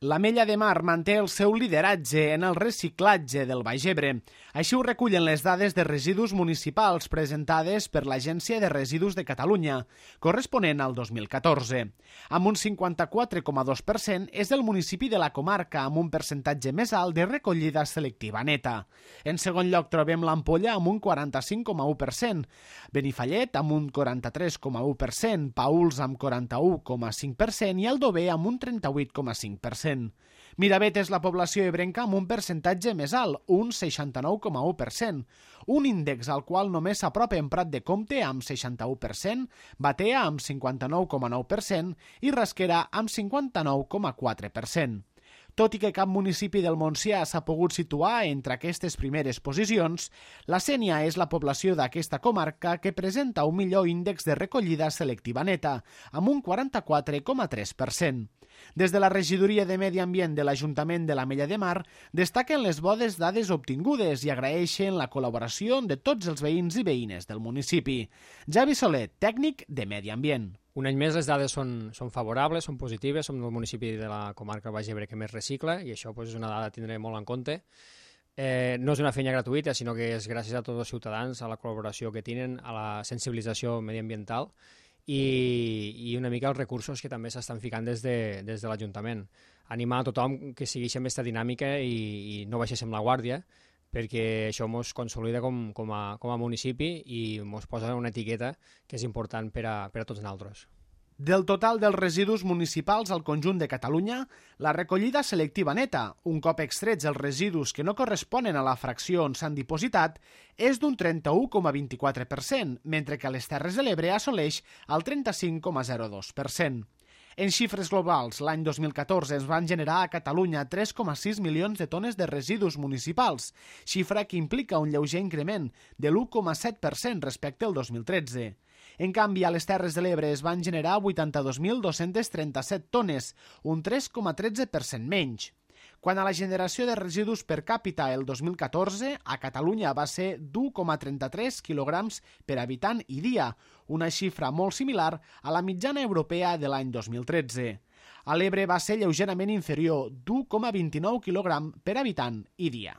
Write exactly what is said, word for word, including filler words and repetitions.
L'Ametlla de Mar manté el seu lideratge en el reciclatge del Baix Ebre. Així ho recullen les dades de residus municipals presentades per l'Agència de Residus de Catalunya, corresponent al dos mil catorze. Amb un cinquanta-quatre coma dos per cent és el municipi de la comarca amb un percentatge més alt de recollida selectiva neta. En segon lloc trobem l'Ampolla amb un quaranta-cinc coma u per cent, Benifallet amb un quaranta-tres coma u per cent, Paüls amb quaranta-u coma cinc per cent i Aldover amb un trenta-vuit coma cinc per cent. Miravet és la població ebrenca amb un percentatge més alt, un seixanta-nou coma u per cent, un índex al qual només s'apropa en Prat de Comte amb seixanta-u per cent, Batea amb cinquanta-nou coma nou per cent i Rasquera amb cinquanta-nou coma quatre per cent. Tot i que cap municipi del Montsià s'ha pogut situar entre aquestes primeres posicions, la Sénia és la població d'aquesta comarca que presenta un millor índex de recollida selectiva neta, amb un quaranta-quatre coma tres per cent. Des de la Regidoria de Medi Ambient de l'Ajuntament de l'Ametlla de Mar destaquen les bones dades obtingudes i agraeixen la col·laboració de tots els veïns i veïnes del municipi. Javi Soler, tècnic de Medi Ambient. Un any més les dades són, són favorables, són positives, som el municipi de la comarca Baix Ebre que més recicla i això pues, és una dada a tindre molt en compte. Eh, no és una feina gratuïta, sinó que és gràcies a tots els ciutadans, a la col·laboració que tenen, a la sensibilització mediambiental i, i una mica els recursos que també s'estan ficant des de, des de l'Ajuntament. Animar a tothom que segueixi amb aquesta dinàmica i, i no baixéssim la guàrdia, perquè això ens consolida com, com, a, com a municipi i ens posa una etiqueta que és important per a, per a tots nosaltres. Del total dels residus municipals al conjunt de Catalunya, la recollida selectiva neta, un cop extrets els residus que no corresponen a la fracció on s'han dipositat, és d'un trenta-u coma vint-i-quatre per cent, mentre que a les Terres de l'Ebre assoleix el trenta-cinc coma zero dos per cent. En xifres globals, l'any dos mil catorze es van generar a Catalunya tres coma sis milions de tones de residus municipals, xifra que implica un lleuger increment de l'u coma set per cent respecte al dos mil tretze. En canvi, a les Terres de l'Ebre es van generar vuitanta-dos mil dos-cents trenta-set tones, un tres coma tretze per cent menys. Quant a la generació de residus per càpita el dos mil catorze, a Catalunya va ser d'u coma trenta-tres quilograms per habitant i dia, una xifra molt similar a la mitjana europea de l'any dos mil tretze. A l'Ebre va ser lleugerament inferior, d'u coma vint-i-nou quilograms per habitant i dia.